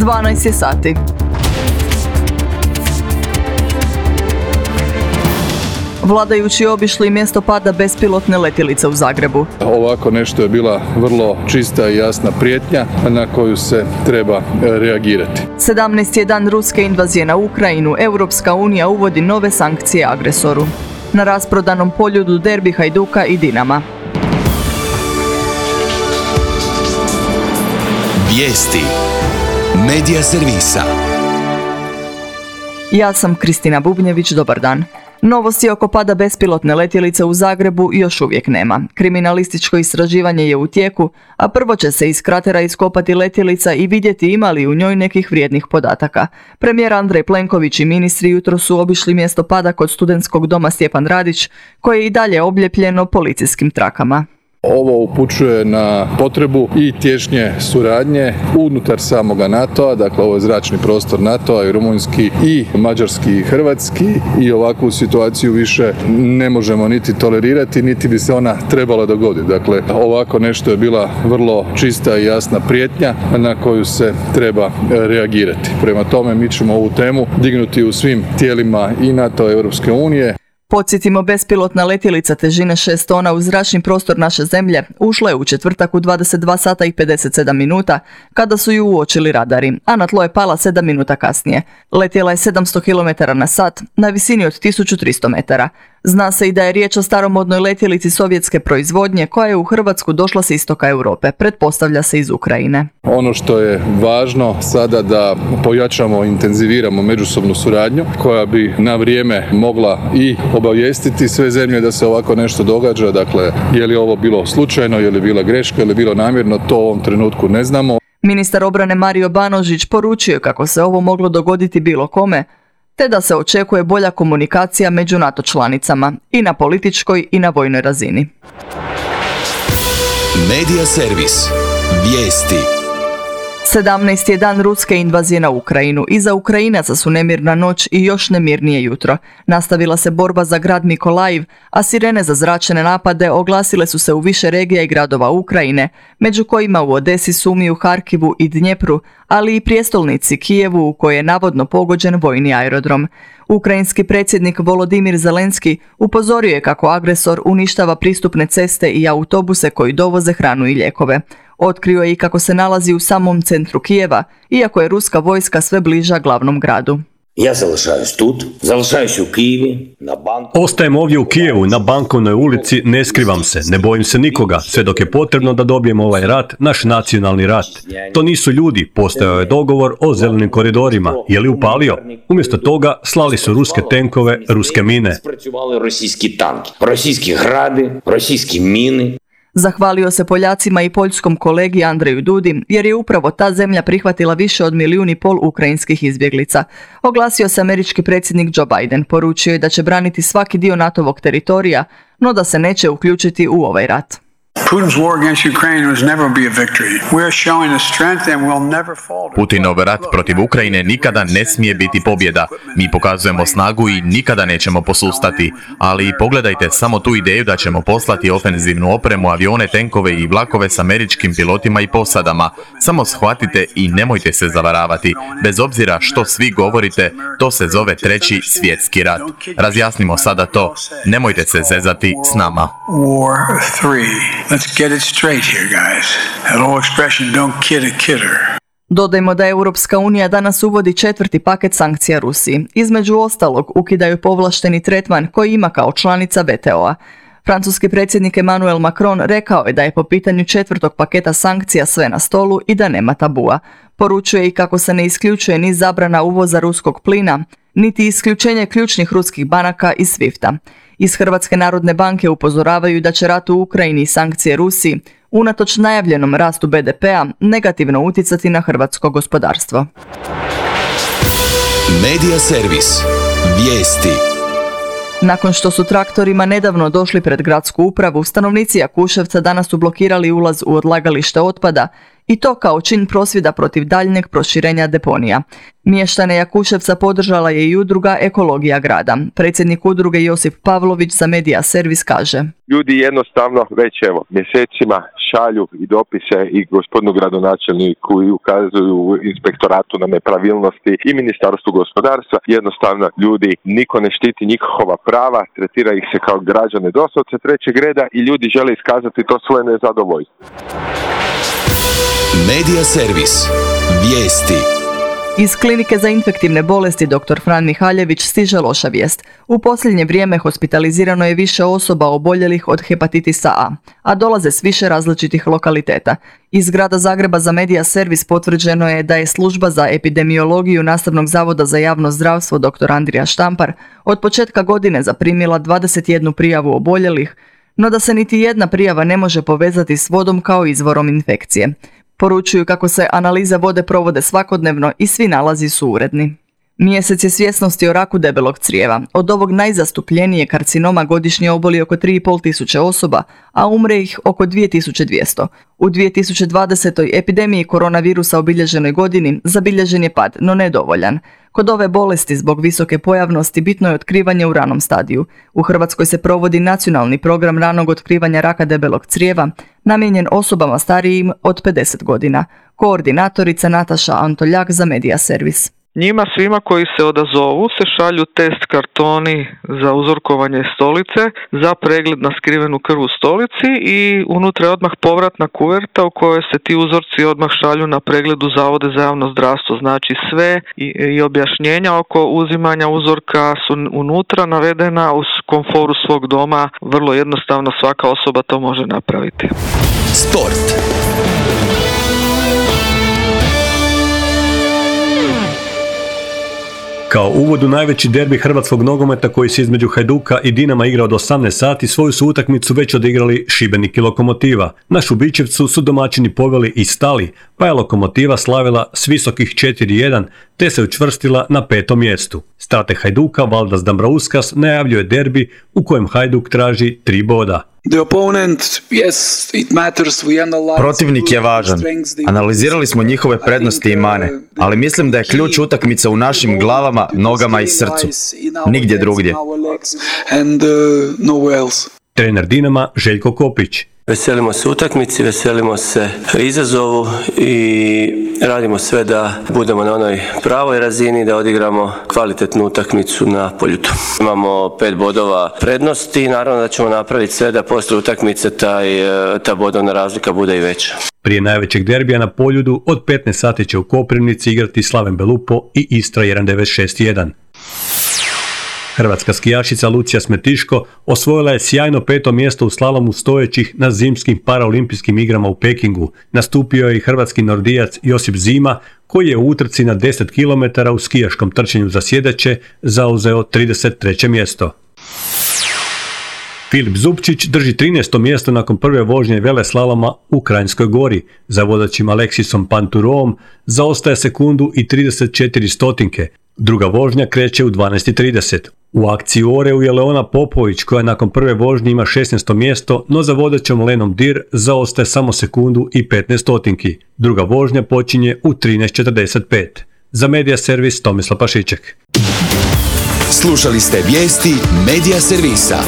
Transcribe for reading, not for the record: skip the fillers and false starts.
12 je sati. Vladajući obišli mjesto pada bespilotne letjelice u Zagrebu. Ovako nešto je bila vrlo čista i jasna prijetnja na koju se treba reagirati. 17. je dan ruske invazije na Ukrajinu. Europska unija uvodi nove sankcije agresoru. Na rasprodanom Poljudu derbi Hajduka i Dinama. Vijesti Medija servisa. Ja sam Kristina Bubnjević, dobar dan. Novosti oko pada bespilotne letjelice u Zagrebu još uvijek nema. Kriminalističko istraživanje je u tijeku, a prvo će se iz kratera iskopati letjelica i vidjeti ima li u njoj nekih vrijednih podataka. Premijer Andrej Plenković i ministri jutros su obišli mjesto pada kod studentskog doma Stjepan Radić, koje je i dalje oblijepljeno policijskim trakama. Ovo upućuje na potrebu i tješnje suradnje unutar samoga NATO-a, dakle ovo je zračni prostor NATO-a i rumunjski i mađarski i hrvatski i ovakvu situaciju više ne možemo niti tolerirati, niti bi se ona trebala dogoditi. Dakle, ovako nešto je bila vrlo čista i jasna prijetnja na koju se treba reagirati. Prema tome mi ćemo ovu temu dignuti u svim tijelima i NATO i Europske unije. Podsjetimo, bespilotna letjelica težine 6 tona u zračni prostor naše zemlje ušla je u četvrtak u 22 sata i 57 minuta kada su ju uočili radari, a na tlo je pala 7 minuta kasnije. Letjela je 700 km na sat na visini od 1300 metara. Zna se i da je riječ o staromodnoj letjelici sovjetske proizvodnje koja je u Hrvatsku došla s istoka Europe, pretpostavlja se iz Ukrajine. Ono što je važno sada da pojačamo, intenziviramo međusobnu suradnju koja bi na vrijeme mogla i obavijestiti sve zemlje da se ovako nešto događa. Dakle, je li ovo bilo slučajno, je li bila greška, je li bilo namjerno, to u ovom trenutku ne znamo. Ministar obrane Mario Banožić poručio kako se ovo moglo dogoditi bilo kome, te da se očekuje bolja komunikacija među NATO članicama i na političkoj i na vojnoj razini. Medija servis. Vijesti. 17. je dan ruske invazije na Ukrajinu. Iza Ukrajinaca su nemirna noć i još nemirnije jutro. Nastavila se borba za grad Mikolajiv, a sirene za zračne napade oglasile su se u više regija i gradova Ukrajine, među kojima u Odesi, Sumiju, Harkivu i Dnjepru, ali i prijestolnici Kijevu u kojoj je navodno pogođen vojni aerodrom. Ukrajinski predsjednik Volodimir Zelenski upozorio je kako agresor uništava pristupne ceste i autobuse koji dovoze hranu i lijekove. Otkrio je i kako se nalazi u samom centru Kijeva, iako je ruska vojska sve bliža glavnom gradu. Ja залишаюсь u Kijevi, na banku. Ostajem ovdje u Kijevu, na Bankovnoj ulici, ne skrivam se, ne bojim se nikoga, sve dok je potrebno da dobijemo ovaj rat, naš nacionalni rat. To nisu ljudi, postojao je dogovor o zelenim koridorima, je li upalio? Umjesto toga slali su ruske tenkove, ruske mine. Російські танки, російські гради, російські міни. Zahvalio se Poljacima i poljskom kolegi Andreju Dudi, jer je upravo ta zemlja prihvatila više od 1,5 milijuna ukrajinskih izbjeglica. Oglasio se američki predsjednik Joe Biden, poručio je da će braniti svaki dio NATO-vog teritorija, no da se neće uključiti u ovaj rat. Putinov rat protiv Ukrajine nikada ne smije biti pobjeda. Mi pokazujemo snagu i nikada nećemo posustati. Ali pogledajte samo tu ideju da ćemo poslati ofenzivnu opremu, avione, tenkove i vlakove s američkim pilotima i posadama. Samo shvatite i nemojte se zavaravati. Bez obzira što svi govorite, to se zove Treći svjetski rat. Razjasnimo sada to. Nemojte se zezati s nama. Let's get it straight here, guys. That old expression, don't kid a kidder. Dodajmo da Europska unija danas uvodi 4. paket sankcija Rusiji. Između ostalog, ukidaju povlašteni tretman koji ima kao članica WTO-a. Francuski predsjednik Emmanuel Macron rekao je da je po pitanju 4. paketa sankcija sve na stolu i da nema tabua. Poručuje i kako se ne isključuje ni zabrana uvoza ruskog plina, niti isključenje ključnih ruskih banaka iz SWIFT-a. Iz Hrvatske narodne banke upozoravaju da će rat u Ukrajini i sankcije Rusiji, unatoč najavljenom rastu BDP-a, negativno utjecati na hrvatsko gospodarstvo. Medija servis. Vijesti. Nakon što su traktorima nedavno došli pred gradsku upravu, stanovnici Jakuševca danas su blokirali ulaz u odlagalište otpada I to kao čin prosvjeda protiv daljnjeg proširenja deponija. Mještane Jakuševca podržala je i udruga Ekologija grada. Predsjednik udruge Josip Pavlović za Medija Servis kaže: Ljudi jednostavno već mjesecima šalju i dopise i gospodinu gradonačelniku i ukazuju inspektoratu na nepravilnosti i Ministarstvu gospodarstva. Jednostavno ljudi, niko ne štiti njihova prava, tretira ih se kao građane doslovce trećeg reda i ljudi žele iskazati to svoje nezadovoljstvo. Medija Servis. Vijesti. Iz klinike za infektivne bolesti dr. Fran Mihaljević stiže loša vijest. U posljednje vrijeme hospitalizirano je više osoba oboljelih od hepatitisa a dolaze s više različitih lokaliteta. Iz grada Zagreba za Medija Servis potvrđeno je da je služba za epidemiologiju Nastavnog zavoda za javno zdravstvo dr. Andrija Štampar od početka godine zaprimila 21 prijavu oboljelih, no da se niti jedna prijava ne može povezati s vodom kao izvorom infekcije. Poručuju kako se analize vode provode svakodnevno i svi nalazi su uredni. Mjesec je svjesnosti o raku debelog crijeva. Od ovog najzastupljenije karcinoma godišnje oboli oko 3.500 osoba, a umre ih oko 2200. U 2020. epidemiji koronavirusa obilježenoj godini zabilježen je pad, no nedovoljan. Kod ove bolesti zbog visoke pojavnosti bitno je otkrivanje u ranom stadiju. U Hrvatskoj se provodi nacionalni program ranog otkrivanja raka debelog crijeva, namijenjen osobama starijim od 50 godina. Koordinatorica Nataša Antoljak za Medija Servis. Njima svima koji se odazovu se šalju test kartoni za uzorkovanje stolice, za pregled na skrivenu krv u stolici i unutra je odmah povratna kuverta u kojoj se ti uzorci odmah šalju na pregled u Zavode za javno zdravstvo. Znači sve i objašnjenja oko uzimanja uzorka su unutra navedena uz komforu svog doma. Vrlo jednostavno svaka osoba to može napraviti. Sport. Kao uvod u najveći derbi hrvatskog nogometa koji se između Hajduka i Dinama igra od 18 sati, svoju su utakmicu već odigrali Šibenik i Lokomotiva. Na Šubićevcu su domaćini poveli i stali, pa je Lokomotiva slavila s visokih 4-1 te se učvrstila na 5. mjestu. Strateg Hajduka Valdas Dambrauskas najavljuje derbi u kojem Hajduk traži 3 boda. Protivnik je važan. Analizirali smo njihove prednosti i mane, ali mislim da je ključ utakmice u našim glavama, nogama i srcu. Nigdje drugdje. Trener Dinama Željko Kopić. Veselimo se utakmici, veselimo se izazovu i radimo sve da budemo na onoj pravoj razini, da odigramo kvalitetnu utakmicu na Poljudu. Imamo 5 bodova prednosti i naravno da ćemo napraviti sve da poslije utakmice ta bodovna razlika bude i veća. Prije najvećeg derbija na Poljudu od 15 sati će u Koprivnici igrati Slaven Belupo i Istra 196-1. Hrvatska skijašica Lucija Smetiško osvojila je sjajno 5. mjesto u slalomu stojećih na zimskim paraolimpijskim igrama u Pekingu. Nastupio je i hrvatski nordijac Josip Zima, koji je u utrci na 10 km u skijaškom trčanju za sjedeće zauzeo 33. mjesto. Filip Zupčić drži 13. mjesto nakon prve vožnje veleslaloma u Kranjskoj Gori. Za vozačim Aleksisom Panturovom zaostaje sekundu i 34 stotinke. Druga vožnja kreće u 12:30. U akciji u Oreu je Leona Popović koja nakon prve vožnje ima 16. mjesto, no za vodećom Lenom Dir zaostaje samo sekundu i 15 stotinki. Druga vožnja počinje u 13:45. Za Medija Servis Tomislav Pašiček. Slušali ste vijesti Medija Servisa.